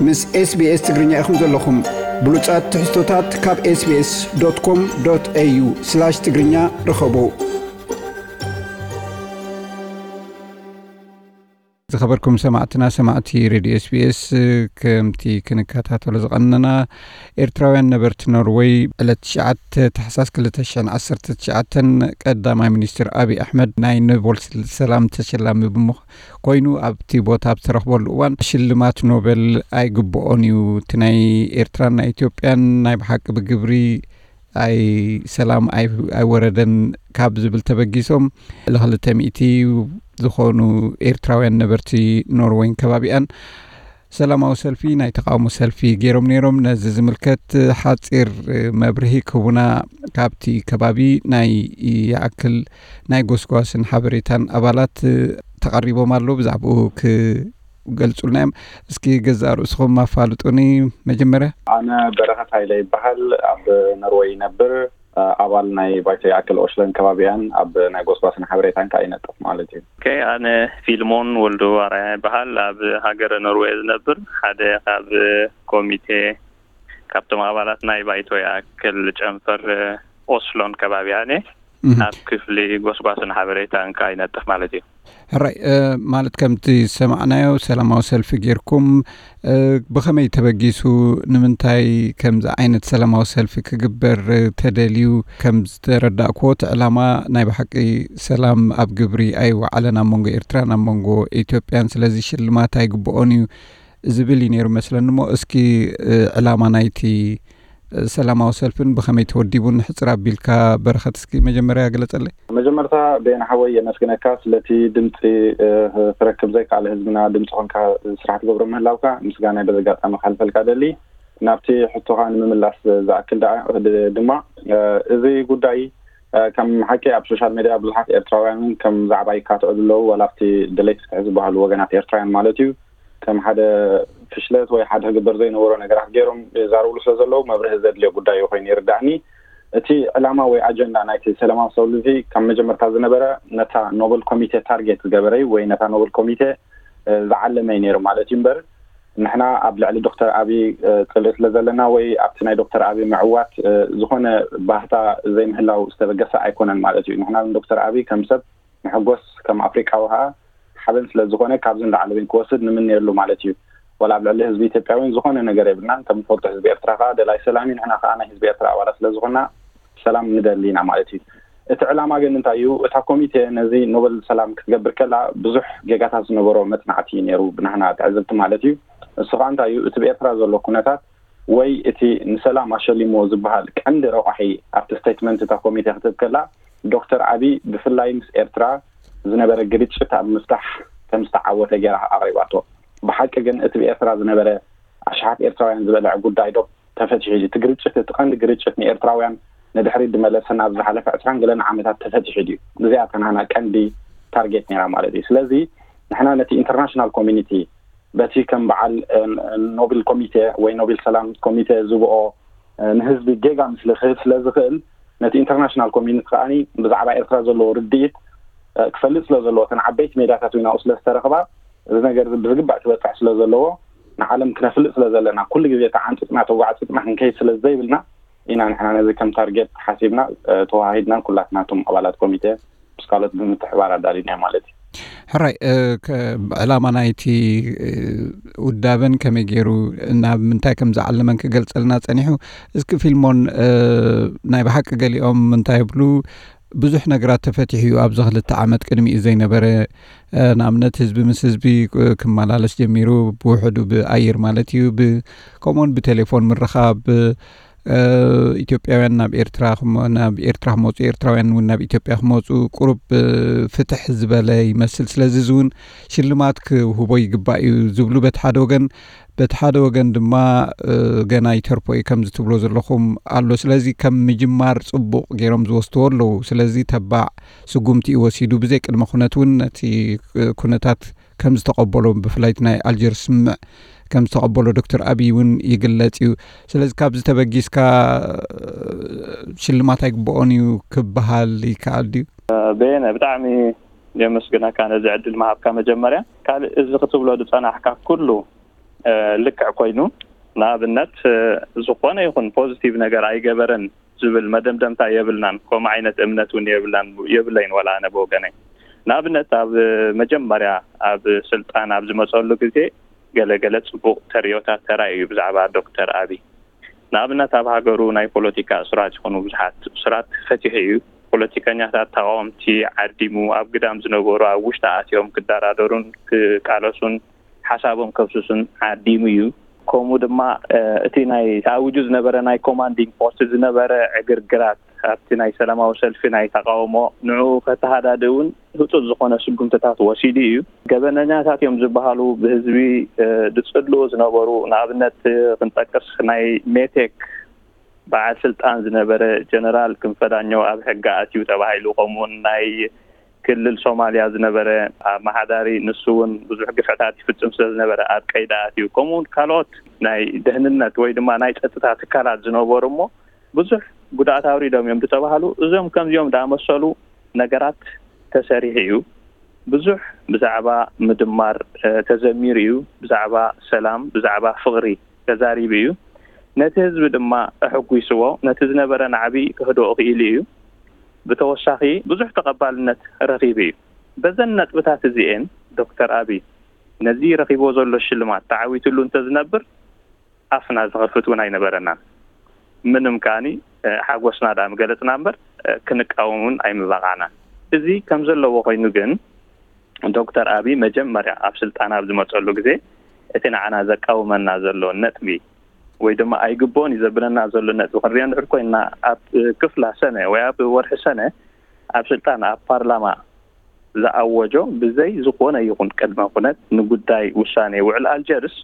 ምስ SBS ትግርኛ ኢኹም ዘለኹም። ብሉጻት ትሕዝቶታት ካብ SBS.com.au/ትግርኛ ርኸቡ። ዝኸበርኩም ሰማዕትና፣ ሰማዕቲ ሬድዮ SBS፣ ከምቲ ክንከታተሎ ዝቐነና፣ ኤርትራውያን ነበርቲ ኖርወይ ዕለት ትሽዓተ ታሕሳስ ክልተ ሽሕን ዓሰርተ ትሽዓተን ቀዳማይ ሚኒስትር ኣብይ ኣሕመድ ናይ ኖበል ሰላም ተሸላሚ ብምዃ-፣ ኮይኑ ኣብቲ ቦታ ኣብ ዝተረኽበሉ እዋን ሽልማት ኖበል ኣይግብኦን እዩ፣ እቲ ናይ ኤርትራን ናይ ኢትዮጵያን ናይ ብሓቂ ብግብሪ ኣይ ሰላም ኣይ-፣ ኣይወረደን ካብ ዝብል ተበጊሶም ልዕሊ ክልተ ሚእቲ ዝኾኑ ኤርትራውያን ነበርቲ ኖርወይን ከባቢኣን ሰላማዊ ሰልፊ፣ ናይ ተቃውሞ ሰልፊ ገይሮም ነይሮም። ነዚ ዝምልከት ሓጺር መብርሂ ክህቡና ካብቲ ከባቢ ናይ ይኣክል ናይ ጎስጓስን ሓበሬታን ኣባላት ተቐሪቦም ኣለዉ። ብዛዕባኡ ክገልጹልና እዮም። እስኪ ገዛእ ርእስኹም ኣፋልጡኒ መጀመርያ። ኣነ በረኸት ሃይለ ይበሃል። ኣብ ኖርወይ ይነብር። ኣባል ናይ ባይቶ ይኣክል ኦሽለን ከባቢኣን ኣብ ናይ ጎስጓስን ሓበሬታን ከኣ ይነጥፍ ማለት እዩ። ኦኬ፣ ኣነ ፊልሞን ወልዱ ኣርኣያ ይበሃል። ኣብ ሃገረ ኖርወይ ዝነብር ሓደ ካብ ኮሚቴ፣ ካብቶም ኣባላት ናይ ባይቶ ይኣክል ጨንፈር ኦስሎን ከባቢኣን እየ። እህ። ኣብ ክፍሊ ጎስጓስን ሓበሬታን ከኣ ይነጥፍ ማለት እዩ። ሕራይ፣ እ፣ ማለት ከምቲ ዝሰማዕናዮ ሰላማዊ ሰልፊ ጌርኩም፣ እ፣ ብኸመይ ተበጊሱ፣ ንምንታይ ከምዚ ዓይነት ሰላማዊ ሰልፊ ክግበር፣ እ፣ ተደልዩ? ከም ዝተረዳእክዎ እቲ ዕላማ ናይ ብሓቂ ሰላም ኣብ ግብሪ ኣይወዓለን ኣብ መንጎ ኤርትራን ኣብ መንጎ ኢትዮጵያን፣ ስለዚ ሽልማት ኣይግብኦን እዩ ዝብል እዩ ነይሩ መስለኒ። እሞ እስኪ፣ እ፣ ዕላማ ናይቲ ሰላማዊ ሰልፍን ብኸመይ ተወዲቡን ሕጽር ኣቢልካ በረኸት እስኪ መጀመርያ ግለጸለይ። መጀመርታ ቤን ሓወይ የመስግነካ ስለቲ ድምፂ፣ እ፣ ክረክብ ዘይከኣለ ህዝብና ድምፂ ኮንካ ስራሕ ትገብሮ ምህላውካ ምስጋናይ በዚ ኣጋጣሚ ክሓልፈልካ ደሊ። ናብቲ ሕቶኻ ንምምላስ ዝኣክል ደኣ፣ ድ-፣ ድማ፣ እ፣ እዚ ጉዳይ፣ እ፣ ከም ሓቂ ኣብ ሶሻል ሜድያ ብዙሓት ኤርትራውያን እውን ከም ዛዕባ ይካትዑ ኣለዉ፣ ዋላ ኣብቲ ደለይቲ ፍትሒ ዝበሃሉ ወገናት ኤርትራውያን ማለት እዩ። ከም ሓደ ፍሽለት ወይ ሓደ ክግበር ዘይነበሮ ነገራት ገይሮም ይዛረብሉ ስለ ዘለዉ መብርሂ ዘድልዮ ጉዳይ እዩ ኮይኑ ይርዳእኒ። እቲ ዕላማ ወይ ኣጀንዳ ናይቲ ሰላማዊ ሰልፊ ካብ መጀመርታ ዝነበረ ነታ ኖበል ኮሚቴ ታርጌት ዝገበረ እዩ ወይ ነታ ኖበል ኮሚቴ፣ እ፣ ዝዓለመ እዩ ነይሩ ማለት እዩ እምበር ንሕና ኣብ ልዕሊ ዶክተር ኣብይ፣ እ፣ ጽልኢ ስለ ዘለና ወይ ኣብቲ ናይ ዶክተር ኣብይ ምዕዋት፣ እ፣ ዝኾነ ባህታ ዘይምህላው ዝተበገሰ ኣይኮነን ማለት እዩ። ንሕና ንዶክተር ኣብይ ከም ሰብ ንሕጎስ፣ ከም ኣፍሪቃዊ ከኣ ሓበን ስለ ዝኾነ ካብዚ ንላዕሊ እውን ክወስድ ንምነየሉ ማለት እዩ። ዋላ ኣብ ልዕሊ ህዝቢ ኢትዮጵያ እውን ዝኾነ ነገር የብልናን። ከም ንፈልጦ ህዝቢ ኤርትራ ከኣ ደላይ ሰላም እዩ። ንሕና ከኣ ናይ ህዝቢ ኤርትራ ኣባላት ስለ ዝኾንና ሰላም ንደሊ ኢና ማለት እዩ። እቲ ዕላማ ግን እንታይ እዩ? እታ ኮሚቴ ነዚ ኖበል ሰላም ክትገብር ከላ ብዙሕ ጌጋታት ዝነበሮ መጽናዕቲ እዩ ነይሩ ብናህና ትዕዝብቲ ማለት እዩ። እሱ ከኣ እንታይ እዩ? እቲ ብኤርትራ ዘሎ ኩነታት ወይ እቲ ንሰላም ኣሸሊሞ ዝበሃል ቀንዲ ረቋሒ ኣብቲ ስቴትመንት እታ ኮሚቴ ክትህብ ከላ ዶክተር ኣብይ ብፍላይ ምስ ኤርትራ ዝነበረ ግርጭት ኣብ ምፍታሕ ከም ዝተዓወተ ገይራ ኣቕሪባቶ። ብሓቂ ግን እቲ ብኤርትራ ዝነበረ ኣሽሓት ኤርትራውያን ዝበልዐ ጉዳይ ዶ ተፈቲሑ እዩ? እቲ ግርጭት፣ እቲ ቀንዲ ግርጭት ንኤርትራውያን ንድሕሪት ዝመለሰ ናብ ዝሓለፈ ዕስራን ገለን ዓመታት ተፈቲሑ ድዩ? እዚኣ እታ ናህና ቀንዲ ታርጌት ነይራ ማለት እዩ። ስለዚ ንሕና ነቲ ኢንተርናሽናል ኮሚኒቲ በቲ ከም በዓል፣ እ፣ ኖቤል ኮሚቴ ወይ ኖቤል ሰላም ኮሚቴ ዝብኦ፣ እ፣ ንህዝቢ ጌጋ ምስሊ ክህብ ስለ ዝኽእል ነቲ ኢንተርናሽናል ኮሚኒቲ ከኣ ብዛዕባ ኤርትራ ዘለዎ ርድኢት፣ እ፣ ክፈልጥ ስለ ዘለዎ እተን ዓበይቲ ሜዳታት እውን ኣብኡ ስለ ዝተረኽባ እዚ ነገር እዚ ብዝግባእ ክበጽሕ ስለ ዘለዎ ንዓለም ክነፍልጥ ስለ ዘለና ኩሉ ግዜ ተዓንጽጽና ተጓዕጽጽና ክንከይድ ስለ ዘይብልና ኢና ንሕና ነዚ ከም ታርጌት ሓሲብና፣ እ፣ ተዋሃሂድናን ኩላትና እቶም ኣባላት ኮሚቴ ምስ ካልኦት ብምትሕባር ኣዳሊናዮ ማለት እዩ። ሕራይ፣ እ፣ ከ-፣ ዕላማ ናይቲ፣ እ፣ ውዳበን ከመይ ገይሩ ናብ ምንታይ ከም ዝዓለመን ክገልጸልና ጸኒሑ። እስኪ ፊልሞን፣ እ፣ ናይ ብሓቂ ገሊኦም እንታይ ይብሉ፣ ብዙሕ ነገራት ተፈቲሑ እዩ ኣብዚ ክልተ ዓመት ቅድሚኡ ዘይነበረ። እ፣ ንኣብነት ህዝቢ ምስ ህዝቢ፣ እ፣ ክመላለስ ጀሚሩ፣ ብውሕዱ ብኣየር ማለት እዩ፣ ብ-፣ ከምኡውን ብቴሌፎን ምርኻብ፣ እ፣ ኢትዮጵያውያን ናብ ኤርትራ ክመ-፣ ናብ ኤርትራ ክመጹ፣ ኤርትራውያን እውን ናብ ኢትዮጵያ ክመጹ ቁሩብ፣ እ፣ ፍትሕ ዝበለ ይመስል። ስለዚ እዚ እውን ሽልማት ክህቦ ይግባእ እዩ ዝብሉ በቲ ሓደ ወገን፣ በቲ ሓደ ወገን ድማ፣ እ፣ ገና ይተርፎ እዩ ከምዚ ትብሎ ዘለኹም ኣሎ። ስለዚ ከም ምጅማር ጽቡቕ ገይሮም ዝወስድዎ ኣለዉ። ስለዚ ተባዕ ስጉምቲ እዩ ወሲዱ። ብዘይ ቅድመ ኩነት እውን ነቲ፣ እ፣ ኩነታት ከም ዝተቐበሎ፣ ብፍላይ እቲ ናይ ኣልጀርስ ስምምዕ ከም ዝተቐበሎ ዶክተር ኣብይ እውን ይግለጽ እዩ። ስለዚ ካብዚ ተበጊስካ፣ እ፣ ሽልማት ኣይግብኦን እዩ ክበሃል ይከኣል ድዩ? በየነ፣ ብጣዕሚ የመስግነካ ነዚ ዕድል ምሃብካ። መጀመርያ ካልእ እዚ ክትብሎ ዝጸናሕካ ኩሉ ልክዕ ኮይኑ፣ ንኣብነት ዝኾነ ይኹን ፖዚቲቭ ነገር ኣይገበረን ዝብል መደምደምታ የብልናን። ከምኡ ዓይነት እምነት እውን የብላን የብለይን ዋላ ኣነ ብወገነይ። ንኣብነት ኣብ መጀመርያ ኣብ ስልጣን ኣብ ዝመፀሉ ግዜ ገለገለ ፅቡቅ ተርእዮታት ተራእዩ ብዛዕባ ዶክተር ኣብይ። ንኣብነት ኣብ ሃገሩ ናይ ፖለቲካ እሱራት ይኹኑ ብዙሓት እሱራት ፈቲሑ እዩ። ፖለቲከኛታት፣ ተቃወምቲ ዓዲሙ፣ ኣብ ግዳም ዝነበሩ ኣብ ውሽጢ ኣትዮም ክደራደሩን ክቃለሱን ሓሳቦም ከፍስሱን ዓዲሙ እዩ። ከምኡ ድማ እቲ ናይ ተኣዊጁ ዝነበረ ናይ ኮማንዲንግ ፖስት ዝነበረ ዕግርግራት ኣብቲ ናይ ሰላማዊ ሰልፊ ናይ ተቃውሞ ንዕኡ ከተሃዳድእ እውን ህፁፅ ዝኾነ ስጉምትታት ወሲዱ እዩ። ገበነኛታት እዮም ዝበሃሉ ብህዝቢ ዝፅልኡ ዝነበሩ፣ ንኣብነት ክንጠቅስ ናይ ሜቴክ በዓል ስልጣን ዝነበረ ጀነራል ክንፈ ዳኘው ኣብ ሕጊ ኣትዩ ተባሂሉ፣ ከምኡውን ናይ ክልል ሶማልያ ዝነበረ ኣመሓዳሪ ንሱ እውን ብዙሕ ግፍዕታት ይፍፅም ስለ ዝነበረ ኣብ ቀይዲ ኣትዩ፣ ከምኡውን ካልኦት ናይ ደህንነት ወይ ድማ ናይ ፀጥታ ትካላት ዝነበሩ እሞ ብዙሕ ጉድኣት ኣውሪዶም እዮም ዝተባሃሉ። እዞም ከምዚኦም ዝኣመሰሉ ነገራት ተሰሪሑ እዩ። ብዙሕ ብዛዕባ ምድማር ተዘሚሩ እዩ። ብዛዕባ ሰላም፣ ብዛዕባ ፍቕሪ ተዛሪቡ እዩ። ነቲ ህዝቢ ድማ ኣሐጒስዎ፣ ነቲ ዝነበረ ናዕቢ ከህድኦ ክኢሉ እዩ። ብተወሳኺ ብዙሕ ተቐባልነት ረኺቡ እዩ። በዘን ነጥብታት እዚኤን ዶክተር ኣብይ ነዚ ረኺብዎ ዘሎ ሽልማት ተዓዊትሉ እንተዝነብር ኣፍና ዝኸፍት እውን ኣይነበረናን። ምንም ከኣኒ ሓጎስና ደኣ ምገለጽና እምበር ክንቃወም እውን ኣይምበቓዕናን። እዚ ከም ዘለዎ ኮይኑ ግን ዶክተር ኣብይ መጀመርያ ኣብ ስልጣን ኣብ ዝመጸሉ ግዜ እቲ ንዓና ዘቃውመና ዘሎ ነጥቢ ወይ ድማ ኣይግብኦን እዩ ዘብለና ዘሎ ነጥቢ ክንሪኦ እንድሕር ኮይንና ኣብ ክፍላ ሰነ ወይ ኣብ ወርሒ ሰነ ኣብ ስልጣን ኣብ ፓርላማ ዝኣወጆ ብዘይ ዝኾነ ይኹን ቅድመ ኩነት ንጉዳይ ውሳኔ ውዕል ኣልጀርስ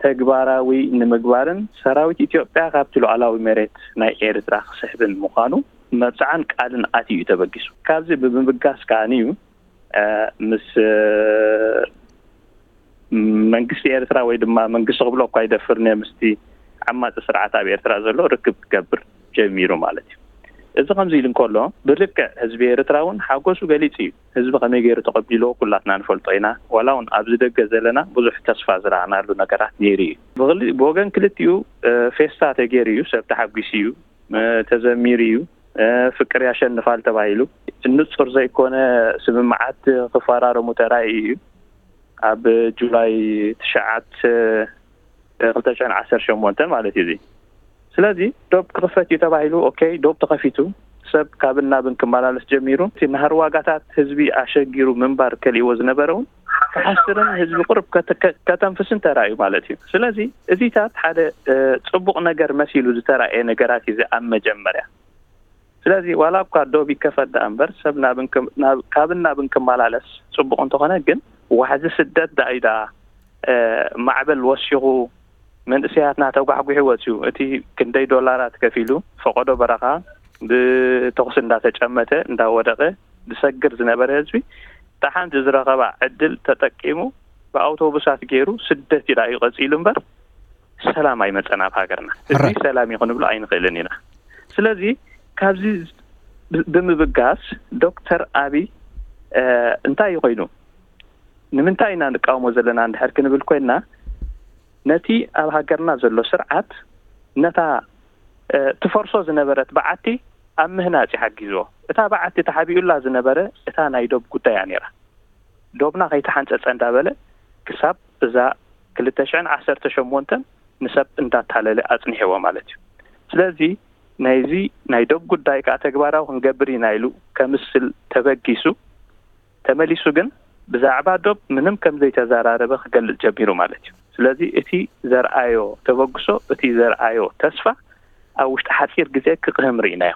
ተግባራዊ ንምግባርን ሰራዊት ኢትዮጵያ ካብቲ ሉዓላዊ መሬት ናይ ኤርትራ ክስሕብን ምዃኑ መብጽዓን ቃልን ኣትዩ እዩ ተበጊሱ። ካብዚ ብምብጋስ ከኣ እዩ ምስ መንግስቲ ኤርትራ ወይ ድማ መንግስቲ ክብሎ እኳ ይደፍርን እየ ምስቲ ዓማፂ ስርዓት ኣብ ኤርትራ ዘሎ ርክብ ክገብር ጀሚሩ ማለት እዩ። እዚ ከምዚ ኢሉ እንከሎ ብልክዕ ህዝቢ ኤርትራ እውን ሓጎሱ ገሊፁ እዩ። ህዝቢ ከመይ ገይሩ ተቐቢልዎ ኩላትና ንፈልጦ ኢና። ዋላ እውን ኣብዚ ደገ ዘለና ብዙሕ ተስፋ ዝረኣናሉ ነገራት ነይሩ እዩ። ብወገን ክልቲኡ ፌስታ ተገይሩ እዩ። ሰብ ተሓጒሱ እዩ፣ ተዘሚሩ እዩ። ፍቅር ያሸንፋል ተባሂሉ ንፁር ዘይኮነ ስምምዓት ክፈራረሙ ተራእዩ እዩ። ኣብ ጁላይ ትሽዓተ ክልተ ሽሕን ዓሰርተ ሸሞንተን ማለት እዩ። እዚ ስለዚ ዶብ ክኽፈት እዩ ተባሂሉ። ኦኬ፣ ዶብ ተኸፊቱ፣ ሰብ ካብን ናብን ክመላለስ ጀሚሩ። እቲ ናህሪ ዋጋታት ህዝቢ ኣሸጊሩ ምንባር ከሊእዎ ዝነበረ እውን ክሓስርን ህዝቢ ቁርብ ከተንፍስን ተራእዩ ማለት እዩ። ስለዚ እዚታት ሓደ ፅቡቕ ነገር መሲሉ ዝተራእየ ነገራት እዩ ኣብ መጀመርያ። ስለዚ ዋላ እኳ ዶብ ይከፈት ደኣ እምበር ሰብ ካብን ናብን ክመላለስ ፅቡቕ እንተኾነ ግን ዋሕዚ ስደት ደኣ እዩ ደኣ ማዕበል ወሲኹ መንእሰያትና ተጓሕጒሑ ወፂኡ። እቲ ክንደይ ዶላራት ከፊሉ ፈቐዶ በረኻ ብተኹሲ እንዳተጨመተ እንዳወደቐ ዝሰግር ዝነበረ ህዝቢ እታ ሓንቲ ዝረኸባ ዕድል ተጠቂሙ ብኣውቶቡሳት ገይሩ ስደት እዩ ደኣ እዩ ቀፂሉ እምበር ሰላም ኣይመፀን ኣብ ሃገርና። እዚ ሰላም እዩ ክንብሎ ኣይንኽእልን ኢና። ስለዚ ካብዚ ብምብጋስ ዶክተር ኣብይ እንታይ እዩ ኮይኑ? ንምንታይ ኢና ንቃወሞ ዘለና እንድሕር ክንብል ኮይንና ነቲ ኣብ ሃገርና ዘሎ ስርዓት ነታ ትፈርሶ ዝነበረት በዓቲ ኣብ ምህናፅ እዩ ሓጊዝዎ። እታ በዓቲ ተሓቢኡላ ዝነበረ እታ ናይ ዶብ ጉዳይ እያ ነይራ። ዶብና ከይተሓንፀፀ እንዳበለ ክሳብ እዛ ክልተ ሽሕን ዓሰርተ ሸሞንተን ንሰብ እንዳታለለ ኣፅኒሕዎ ማለት እዩ። ስለዚ ናይዚ ናይ ዶብ ጉዳይ ከዓ ተግባራዊ ክንገብር ኢና ኢሉ ከምስል ተበጊሱ ተመሊሱ ግን ብዛዕባ ዶብ ምንም ከም ዘይተዘራረበ ክገልፅ ጀሚሩ ማለት እዩ። ስለዚ እቲ ዘርኣዮ ተበግሶ፣ እቲ ዘርኣዮ ተስፋ ኣብ ውሽጢ ሓፂር ግዜ ክቕህም ርኢናዮ።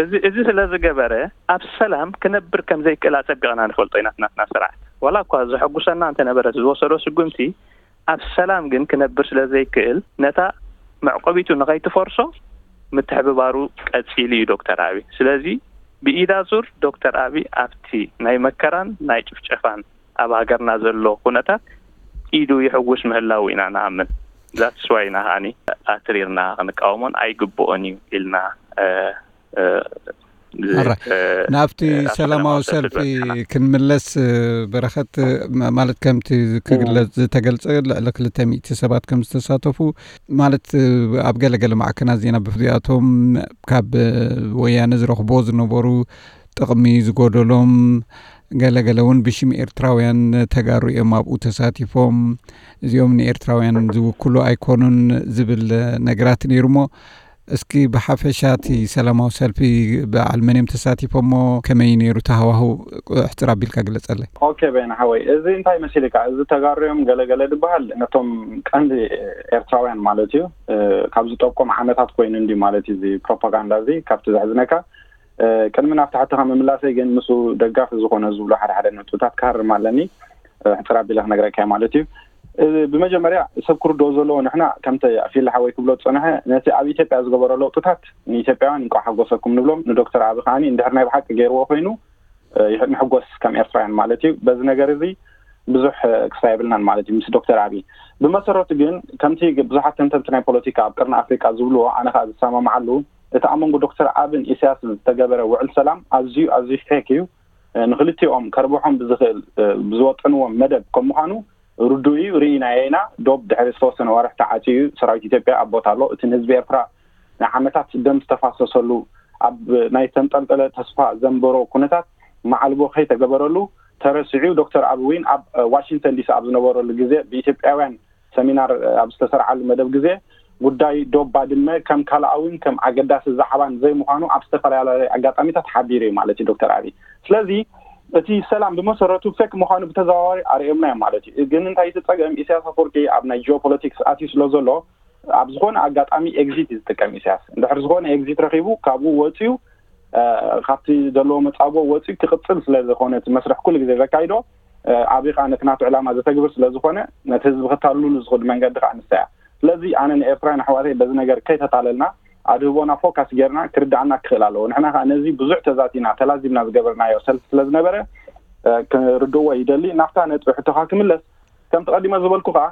እዚ እዚ ስለ ዝገበረ ኣብ ሰላም ክነብር ከም ዘይክእል ኣፀቢቕና ንፈልጦ ኢና። ናትና ስርዓት ዋላ እኳ ዘሐጉሰና እንተነበረ ዝወሰዶ ስጉምቲ ኣብ ሰላም ግን ክነብር ስለ ዘይክእል ነታ መዕቆቢቱ ንኸይትፈርሶ ምትሕብባሩ ቀፂሉ እዩ ዶክተር ኣብይ። ስለዚ ብኢዳ ዙር ዶክተር ኣብይ ኣብቲ ናይ መከራን ናይ ጭፍጨፋን ኣብ ሃገርና ዘሎ ኩነታት ኢዱ ይሕውስ ምህላው ኢና ንኣምን። ዛትስ ዋይ ኢና ከዓኒ ኣትሪርና ክንቃወሞን ኣይግብኦን እዩ ኢልና ኣረ፣ ናብቲ ሰላማዊ ሰልፊ ክንምለስ፣ በረኸት፣ ማለት ከምቲ ክግለጽ ዝተገልጸ፣ ልዕሊ ክልተ ሚእቲ ሰባት ከም ዝተሳተፉ፣ ማለት ኣብ ገለገለ ማዕከናት ዜና ብፍሉያቶም ካብ ወያነ ዝረኽቦ ዝነበሩ ጥቕሚ ዝጎደሎም፣ ገለገለ እውን ብሽም ኤርትራውያን ተጋሩ እዮም ኣብኡ ተሳቲፎም፣ እዚኦም ንኤርትራውያን ዝውክሉ ኣይኮኑን ዝብል ነገራት ነይሩ። እሞ እስኪ ብሓፈሻ እቲ ሰላማዊ ሰልፊ በዓል መን እዮም ተሳቲፎሞ፣ ከመይ ነይሩ ተሃዋሁ፣ ሕጽር ኣቢልካ ግለጸለይ። ኦኬ፣ በይነ ሓወይ፣ እዚ እንታይ መሲልካ፣ እዚ ተጋሩ እዮም ገለገለ ዝበሃል ነቶም ቀንዲ ኤርትራውያን ማለት እዩ። ካብ ዝጠቆም ዓመታት ኮይኑ እንዲ ማለት እዩ እዚ ፕሮፓጋንዳ እዚ ካብቲ ዘሕዝነካ። ቅድሚ ናብቲ ሕቶኻ ምምላሰይ ግን ምስኡ ደጋፊ ዝኾነ ዝብሎ ሓደ ሓደ ነጥብታት ክሃርም ኣለኒ። ሕጽር ኣቢለ ክነግረካ ማለት እዩ። ብመጀመርያ ሰብ ክርድኦ ዘለዎ፣ ንሕና ከምቲ ፊል ሓወይ ክብሎ ዝጸንሐ፣ ነቲ ኣብ ኢትዮጵያ ዝገበሮ ለውጥታት ንኢትዮጵያውያን እንቋዕ ሓጎሰኩም ንብሎም፣ ንዶክተር ኣቢ ከዓኒ እንድሕር ናይ ብሓቂ ገይርዎ ኮይኑ ንሕጎስ ከም ኤርትራውያን ማለት እዩ። በዚ ነገር እዚ ብዙሕ ክስታይ የብልናን ማለት እዩ ምስ ዶክተር ኣቢ። ብመሰረቱ ግን ከምቲ ብዙሓት ተንተንቲ ናይ ፖለቲካ ኣብ ቅርኒ ኣፍሪቃ ዝብልዎ፣ ኣነ ከኣ ዝሰማማዓሉ፣ እቲ ኣብ መንጎ ዶክተር ኣብን ኢሳያስን ዝተገበረ ውዕል ሰላም ኣዝዩ ኣዝዩ ፌክ እዩ። ንክልቲኦም ከርብሖም ብዝኽእል ብዝወጠንዎም መደብ ከም ምዃኑ ርዱእ እዩ። ርኢናዮ ኢና። ዶብ ድሕሪ ዝተወሰነ ወርሒ ተዓጽዩ እዩ። ሰራዊት ኢትዮጵያ ኣብ ቦታ ኣሎ። እቲ ንህዝቢ ኤርትራ ንዓመታት ደም ዝተፋሰሰሉ፣ ኣብ ናይ ተንጠልጠለ ተስፋ ዘንበሮ ኩነታት መዓልቦ ከይተገበረሉ ተረሲዑ። ዶክተር ኣቢ እውን ኣብ ዋሽንግተን ዲሲ ኣብ ዝነበረሉ ግዜ ብኢትዮጵያውያን ሰሚናር ኣብ ዝተሰርዓሉ መደብ ግዜ ጉዳይ ዶብ ባድመ ከም ካልኣዊን ከም ኣገዳሲ ዛዕባን ዘይምዃኑ ኣብ ዝተፈላለዩ ኣጋጣሚታት ሓቢሩ እዩ ማለት እዩ ዶክተር ኣቢ። ስለዚ እቲ ሰላም ብመሰረቱ ፌክ ምዃኑ ብተዘዋዋሪ ኣርእዮምና እዮም ማለት እዩ። ግን እንታይ እቲ ጸገም፣ ኢሳያስ ኣፈወርቂ ኣብ ናይ ጂኦፖለቲክስ ኣትዩ ስለ ዘሎ ኣብ ዝኾነ ኣጋጣሚ ኤግዚት እዩ ዝጥቀም ኢሳያስ። እንድሕር ዝኾነ ኤግዚት ረኺቡ ካብኡ ወፅዩ ካብቲ ዘለዎ መጻጎ ወፅዩ ክቕፅል ስለ ዝኾነ እቲ መስርሕ ኩሉ ግዜ ዘካይዶ፣ ኣቢ ከዓ ነቲ ናቱ ዕላማ ዘተግብር ስለ ዝኾነ ነቲ ህዝቢ ክታልሉ ዝኽእል መንገዲ ከዓ ንሳ እያ። ስለዚ ኣነ ንኤርትራውያን ኣሕዋተይ በዚ ነገር ከይተታለልና ኣድህቦና ፎካስ ጌርና ክርድኣና ክኽእል ኣለዎ። ንሕና ከዓ ነዚ ብዙሕ ተዛቲና ተላዚብና ዝገበርናዮ ሰልፊ ስለ ዝነበረ ክርድእዎ ይደሊ። ናብታ ነጥቢ ሕቶኻ ክምለስ፣ ከምቲ ቀዲመ ዝበልኩ ከዓ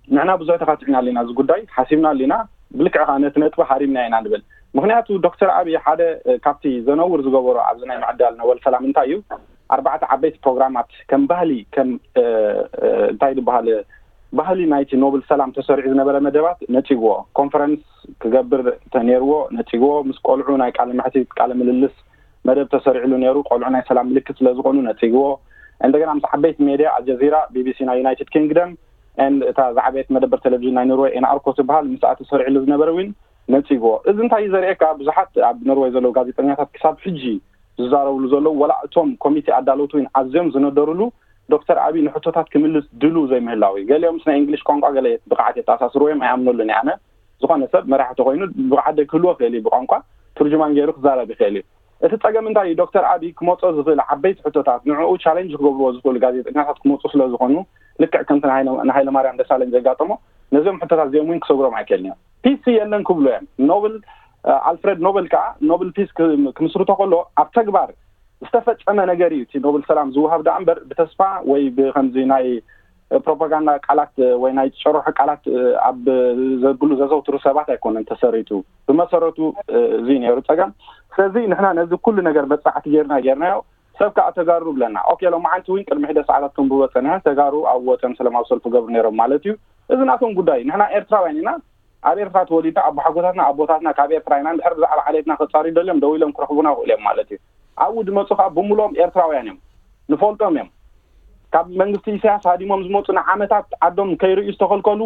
ንሕና ብዙሕ ተኻቲዕና ኣለና፣ እዚ ጉዳይ ሓሲብና ኣለና። ብልክዕ ከዓ ነቲ ነጥቢ ሃሪምና ኢና ንብል። ምክንያቱ ዶክተር ኣብይ ሓደ ካብቲ ዘነውር ዝገበሮ ኣብዚ ናይ ምዕዳል ኖበል ሰላም እንታይ እዩ፣ ኣርባዕተ ዓበይቲ ፕሮግራማት ከም ባህሊ፣ ከም እንታይ ዝበሃል፣ ባህሊ ናይቲ ኖብል ሰላም ተሰሪዑ ዝነበረ መደባት ነፂግዎ። ኮንፈረንስ ክገብር ተነይርዎ ነፂግዎ። ምስ ቆልዑ ናይ ቃለ መሕትት ቃለ ምልልስ መደብ ተሰሪዕሉ ነይሩ። ቆልዑ ናይ ሰላም ምልክት ስለ ዝኾኑ ነፂግዎ። እንደገና ምስ ዓበይቲ ሜድያ ኣልጀዚራ፣ ቢቢሲ ናይ ዩናይትድ ኪንግደም፣ and እታ ዝዓበየት መደበር ቴሌቪዥን ናይ ኖርወይ ኤንኣርኮ ትበሃል ምስኣ ተሰሪዕሉ ዝነበረ እውን ነፂግዎ። እዚ እንታይ እዩ ዘርእየካ? ብዙሓት ኣብ ኖርወይ ዘለዉ ጋዜጠኛታት ክሳብ ሕጂ ዝዛረብሉ ዘለዉ፣ ወላ እቶም ኮሚቴ ኣዳለውቲ እውን ኣዝዮም ዝነደርሉ ዶክተር ኣብይ ንሕቶታት ክምልስ ድሉ ዘይምህላው እዩ። ገሊኦም ምስ ናይ እንግሊሽ ቋንቋ ገለ ብቕዓት የተኣሳስርዎ እዮም፣ ኣይኣምነሉን እየ ኣነ። ዝኾነ ሰብ መራሒ ተኮይኑ ብቕዓት ክህልዎ ይኽእል እዩ፣ ብቋንቋ ትርጅማን ገይሩ ክዛረብ ይኽእል እዩ። እቲ ጸገም እንታይ እዩ? ዶክተር ኣብይ ክመጾ ዝኽእል ዓበይቲ ሕቶታት፣ ንዕኡ ቻሌንጅ ክገብርዎ ዝኽእሉ ጋዜጠኛታት ክመጹ ስለ ዝኾኑ፣ ልክዕ ከምቲ ንሃይለ- ንሃይለ ማርያም ደሳለኝ ዘጋጠሞ፣ ነዚኦም ሕቶታት እዚኦም እውን ክሰግሮም ኣይክእልን እዮም። ፒስ የለን ክብሉ እዮም። ኖብል ኣልፍሬድ ኖብል ከዓ ኖብል ፒስ ክምስርቶ ከሎ ኣብ ተግባር ዝተፈጸመ ነገር እዩ። እቲ ኖብል ሰላም ዝወሃብ ደኣ እምበር ብተስፋ ወይ ብከምዚ ናይ ፕሮፓጋንዳ ቃላት ወይ ናይ ጭርሖ ቃላት ኣብ ዘብሉ ዘዘውትሩ ሰባት ኣይኮነን ተሰሪቱ። ብመሰረቱ እዚ ነይሩ ጸገም። ስለዚ ንሕና ነዚ ኩሉ ነገር መጽናዕቲ ጌርና ጌርናዮ፣ ሰብ ከዓ ተጋሩ ብለና። ኦኬ፣ ሎማዓንቲ እውን ቅድሚ ሕደ ሰዓታት ክንብቦ ጸኒሐ፣ ተጋሩ ኣብ ወጸን ሰላማዊ ሰልፊ ገብሩ ነይሮም ማለት እዩ። እዚ ናቶም ጉዳይ። ንሕና ኤርትራውያን ኢና። ኣብ ኤርትራ ተወሊድና፣ ኣቦሓጎታትና ኣቦታትና ካብ ኤርትራ ኢና። እንድሕር ብዛዕባ ዓሌትና ከጻርዩ ደልዮም ደው ኢሎም ክረኽቡና ይኽእሉ እዮም ማለት እዩ። ኣብኡ ዝመጹ ከዓ ብምልኦም ኤርትራውያን እዮም፣ ንፈልጦም እዮም። ካብ መንግስቲ ኢሳያስ ሃዲሞም ዝመጹ ንዓመታት ዓዶም ከይርእዩ ዝተኸልከሉ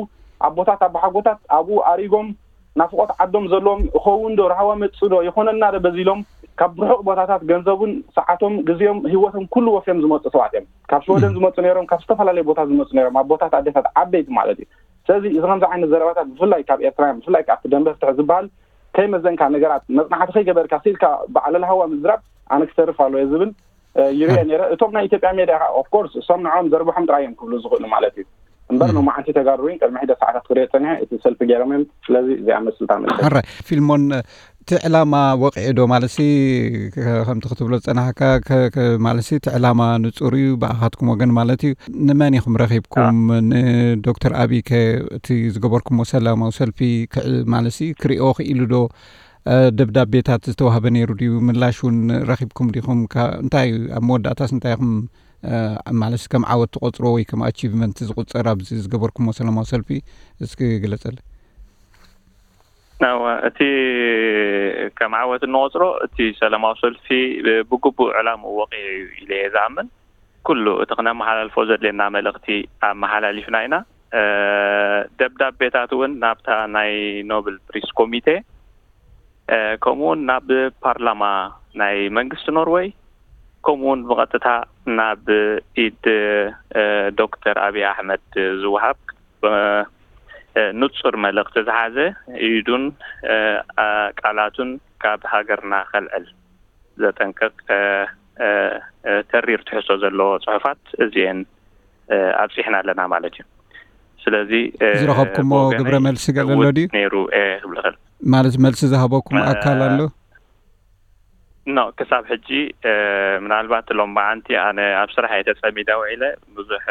ኣቦታት ኣቦሓጎታት ኣብኡ ኣሪጎም ናፍቆት ዓዶም ዘለዎም፣ እኸውን ዶ፣ ራህዋ መጽእ ዶ፣ ይኾነልና ዶ በዚሎም ካብ ርሑቕ ቦታታት ገንዘቡን ሰዓቶም ግዜኦም ህይወቶም ኩሉ ወፍዮም ዝመጹ ሰባት እዮም። ካብ ሽወደን ዝመጹ ነይሮም፣ ካብ ዝተፈላለዩ ቦታ ዝመጹ ነይሮም፣ ኣቦታት ኣዴታት ዓበይቲ ማለት እዩ። ስለዚ እዚ ከምዚ ዓይነት ዘረባታት ብፍላይ ካብ ኤርትራውያን፣ ብፍላይ ካብ ደንበ ፍትሒ ዝበሃል ከይመዘንካ ነገራት መጽናዕቲ ከይገበርካ ስኢልካ ብዓለል ሃዋ ምዝራብ ኣነ ክተርፍ ኣለዎ ዝብል ይርኤ ነይረ። እቶም ናይ ኢትዮጵያ ሜድያ ከዓ ኦፍኮርስ እሶም ንዕኦም ዘርብሖም ጥራይ እዮም ክብሉ ዝኽእሉ ማለት እዩ። እምበር ሎማዓንቲ ተጋሩ እውን ቅድሚ ሕደ ሰዓታት ክሪኦ ጸኒሐ፣ እቲ ሰልፊ ገይሮም እዮም። ስለዚ እዚኣ መስልታ መልሰ። ሕራይ ፊልሞን፣ እቲ ዕላማ ወቂዑ ዶ ማለት ሲ፣ ከምቲ ክትብሎ ዝጸናሕካ ማለት ሲ፣ እቲ ዕላማ ንጹር እዩ ብኣኻትኩም ወገን ማለት እዩ። ንመን ኢኹም ረኺብኩም? ንዶክተር ኣብይ ከ እቲ ዝገበርኩሞ ሰላማዊ ሰልፊ ማለት ሲ ክሪኦ ክኢሉ ዶ? ደብዳቤታት ዝተዋህበ ነይሩ ድዩ? ምላሽ እውን ረኺብኩም ዲኹም? እንታይ ኣብ መወዳእታስ እንታይ ኢኹም? ማለት ከም ዓወት ትቆፅሮ ወይ ከም ኣቺቭመንት ዝቁፀር ኣብዚ ዝገበርኩሞ ሰላማዊ ሰልፊ እስኪ ግለፀለ። እቲ ከም ዓወት እንቆፅሮ እቲ ሰላማዊ ሰልፊ ብግቡእ ዕላምኡ ወቂዑ እዩ ኢለ እየ ዝኣምን። ኩሉ እቲ ክነመሓላልፎ ዘድልየና መልእኽቲ ኣመሓላሊፍና ኢና። ደብዳቤታት እውን ናብታ ናይ ኖብል ፕሪስ ኮሚቴ፣ ከምኡውን ናብ ፓርላማ ናይ መንግስቲ ኖርወይ፣ ከምኡውን ብቐጥታ ናብ ኢድ ዶክተር ኣብይ ኣሕመድ ዝወሃብ ንፁር መልእኽቲ ዝሓዘ፣ ኢዱን ቃላቱን ካብ ሃገርና ከልዕል ዘጠንቅቕ ተሪር ትሕዝቶ ዘለዎ ፅሑፋት እዚኤን ኣብፂሕና ኣለና ማለት እዩ። ስለዚ ዝረኸብኩሞ ግብረ መልሲ ገለ ኣሎ ድዩ? ነይሩ ክብል እል ማለት መልሲ ዝሃበኩም ኣካል ኣሎ? ኖ፣ ክሳብ ሕጂ ምናልባት ሎም መዓንቲ ኣነ ኣብ ስራሕ እየ ተፀሚደ ውዒለ፣ ብዙሕ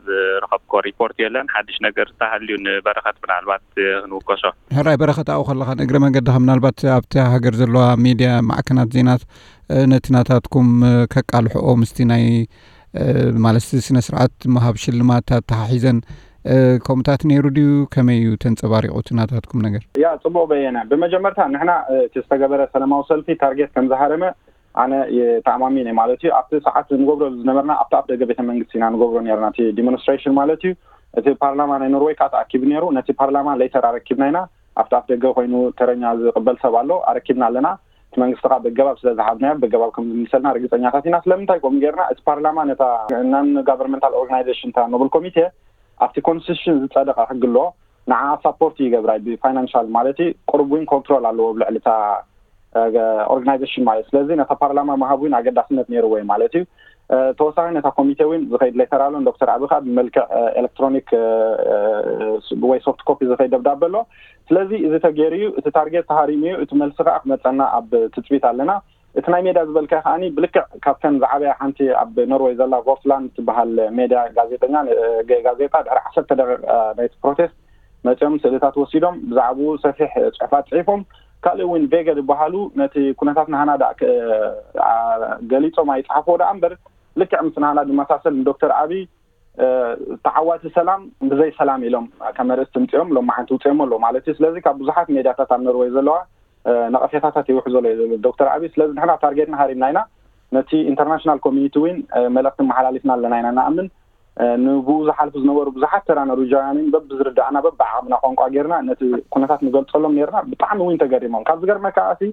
ዝረኸብኮ ሪፖርት የለን። ሓድሽ ነገር ዝተሃልዩ ንበረኸት ምናልባት ክንውከሶ። ሕራይ በረኸት፣ ኣብኡ ከለኻ ንእግረ መንገድኻ ምናልባት ኣብቲ ሃገር ዘለዋ ሚድያ ማዕከናት ዜናት ነቲ ናታትኩም ከቃልሕኦ ምስቲ ናይ ማለት ስነ ስርዓት ምሃብ ሽልማት ኣተሓሒዘን ከምኡታት ነይሩ ድዩ? ከመይ እዩ ተንጸባሪቑ እቲ ናታትኩም ነገር? ያ ጽቡቕ በየነ፣ ብመጀመርታ ንሕና እቲ ዝተገበረ ሰላማዊ ሰልፊ ታርጌት ከም ዝሃረመ ኣነ ተኣማሚነ ማለት እዩ። ኣብቲ ሰዓት ንገብሮ ዝነበርና ኣብቲ ኣፍ ደገ ቤተ መንግስቲ ኢና ንገብሮ ነርና፣ እቲ ዲሞንስትሬሽን ማለት እዩ። እቲ ፓርላማ ናይ ኖርወይ ከዓ ተኣኪቡ ነይሩ። ነቲ ፓርላማ ሌተር ኣረኪብና ኢና። ኣብቲ ኣፍ ደገ ኮይኑ ተረኛ ዝቕበል ሰብ ኣሎ፣ ኣረኪብና ኣለና። እቲ መንግስቲ ከዓ በገባብ ስለ ዝሃብናዮ በገባብ ከም ዝምልሰልና ርግፀኛታት ኢና። ስለምንታይ ከምኡ ጌርና? እቲ ፓርላማ ነታ ናን ጋቨርንመንታል ኦርጋናይዜሽን፣ እታ ኖብል ኮሚቴ ኣብቲ ኮንስቲቱሽን ዝፀደቐ ሕጊ ኣሎ፣ ንዓ ሳፖርት ይገብራ ብፋይናንሻል ማለት እዩ። ቅሩብ እውን ኮንትሮል ኣለዎ ኣብ ልዕሊ እታ ኦርጋናይዜሽን ማለት። ስለዚ ነታ ፓርላማ ምሃብ እውን ኣገዳስነት ነይርዎ እዩ ማለት እዩ። ተወሳኺ ነታ ኮሚቴ እውን ዝኸይድ ሌተር ኣሎ፣ ዶክተር ኣቢ ከዓ ብመልክዕ ኤሌክትሮኒክ ወይ ሶፍት ኮፒ ዝኸይድ ደብዳበ ኣሎ። ስለዚ እዚ ተገይሩ እዩ፣ እቲ ታርጌት ተሃሪሙ እዩ፣ እቲ መልሲ ከዓ ክመፀና ኣብ ትፅቢት ኣለና። እቲ ናይ ሜዳ ዝበልካ ከዓኒ ብልክዕ ካብተን ዝዓበያ ሓንቲ ኣብ ኖርወይ ዘላ ቮርትላንድ ትበሃል ሜዳ ጋዜጠኛ፣ ጋዜጣ ድሕሪ ዓሰርተ ደቂቃ ናይቲ ፕሮቴስት መፂኦም ስእልታት ወሲዶም ብዛዕባኡ ሰፊሕ ፅሑፋት ፅሒፎም፣ ካልእ እውን ቬገ ዝበሃሉ ነቲ ኩነታት ናህና ዳ ገሊፆም ኣይፀሓፍዎ ደኣ እምበር ልክዕ ምስ ናህና ዝመሳሰል ንዶክተር ኣብይ ተዓዋቲ ሰላም ብዘይ ሰላም ኢሎም ከም ኣርእስቲ ምፅኦም ሎማዓንቲ ውፅኦም ኣለዉ ማለት እዩ። ስለዚ ካብ ብዙሓት ሜድያታት ኣብ ኖርወይ ዘለዋ ነቐፌታታት ይውሕዞ ኣሎ እዩ ዘሎ ዶክተር ኣብይ። ስለዚ ንሕና ታርጌትና ሃሪምና ኢና። ነቲ ኢንተርናሽናል ኮሚኒቲ እውን መልእኽቲ መሓላሊፍና ኣለና ኢና ንኣምን። ንብኡ ዝሓልፉ ዝነበሩ ብዙሓት ተራ ኖርዊጃውያን እውን በብዝርዳእና በብዓቕምና ቋንቋ ጌርና ነቲ ኩነታት ንገልፀሎም ኔርና። ብጣዕሚ እውን ተገሪሞም። ካብ ዝገርመካ ኣሲ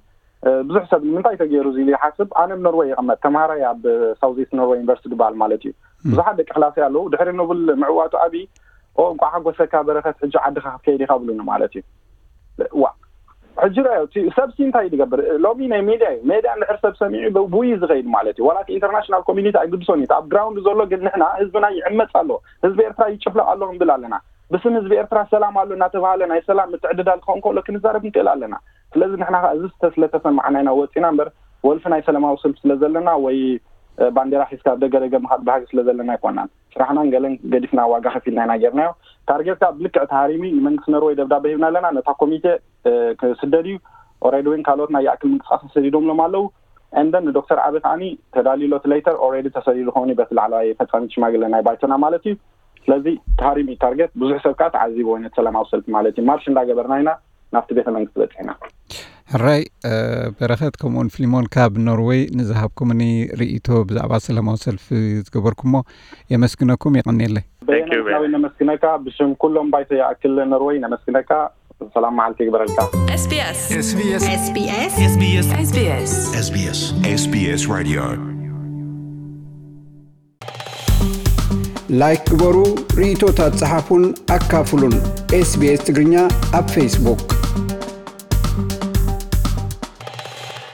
ብዙሕ ሰብ ንምንታይ ተገይሩ እዚ ኢሉ ይሓስብ። ኣነ ኣብ ኖርወይ ይቕመጥ፣ ተምሃራይ ኣብ ሳውዝ ኢስት ኖርወይ ዩኒቨርሲቲ ዝበሃል ማለት እዩ። ብዙሓት ደቂ ክላሰይ ኣለዉ። ድሕሪ ኖብል ምዕዋቱ ኣብይ ኦ እንኳዕ ሓጎሰካ በረኸት፣ ሕጂ ዓድኻ ክትከይድ ኢኻ ብሉኒ ማለት እዩ። ዋ ሕጂ ራዮ እቲ ሰብ ሲ እንታይ እዩ ዝገብር? ሎሚ ናይ ሜድያ እዩ። ሜድያ እንድሕር ሰብ ሰሚዑ ብኡ እዩ ዝኸይድ ማለት እዩ። ዋላ እቲ ኢንተርናሽናል ኮሚኒቲ ኣይግድሶን እዩ። እቲ ኣብ ግራውንድ ዘሎ ግን ንሕና ህዝብና ይዕመፅ ኣሎ፣ ህዝቢ ኤርትራ ይጭፍለቕ ኣሎ ክንብል ኣለና። ብስም ህዝቢ ኤርትራ ሰላም ኣሎ እናተባሃለ ናይ ሰላም ምትዕድዳል ክኸውን ከሎ ክንዛረብ ንክእል ኣለና። ስለዚ ንሕና ከዓ እዚ ስተ ስለተሰማዕና ኢና ወፂና እምበር ወልፊ ናይ ሰላማዊ ሰልፊ ስለ ዘለና ወይ ባንዴራ ሒዝካ ደገ ደገ ምኻድ ባህጊ ስለ ዘለና ኣይኮናን። ስራሕናን ገለን ገዲፍና ዋጋ ከፊልና ኢና ጌርናዮ። ታርጌት ከዓ ብልክዕ ተሃሪሚ ንመንግስቲ ኖርወይ ደብዳበ ሂብና ኣለና። ነታ ኮሚቴ ክስደድ እዩ። ኦሬዲ እውን ካልኦት ናይ ይኣክል ምንቅስቃስ ተሰዲዶምሎም ኣለዉ። እንደን ንዶክተር ዓቢ ከዓኒ ተዳልዩ ኣሎ እቲ ሌተር ኦሬዲ ተሰዲዱ ከውን በቲ ላዕለዋይ ፈፃሚት ሽማግለ ናይ ባይቶና ማለት እዩ። ስለዚ ተሃሪሚ ታርጌት ብዙሕ ሰብ ከዓ ተዓዚብዎ ነቲ ሰላማዊ ሰልፊ ማለት እዩ። ማርሽ እንዳገበርና ኢና ናብቲ ቤተ መንግስቲ በፂሕና። ሕራይ በረኸት ከምኡውን ፊሊሞን ካብ ኖርወይ ንዝሃብኩምኒ ርእይቶ ብዛዕባ ሰላማዊ ሰልፊ ዝገበርኩሞ የመስግነኩም። የቐንየለይ። በየነ ነመስግነካ ብሽም ኩሎም ባይቶ ይኣክል ኖርወይ ነመስግነካ። ሰላም መዓልቲ ይግበረልካ። SBS SBS SBS SBS SBS SBS SBS Radio ላይክ ግበሩ፣ ርእይቶታት ጸሓፉን ኣካፍሉን። SBS ትግርኛ ኣብ ፌስቡክ።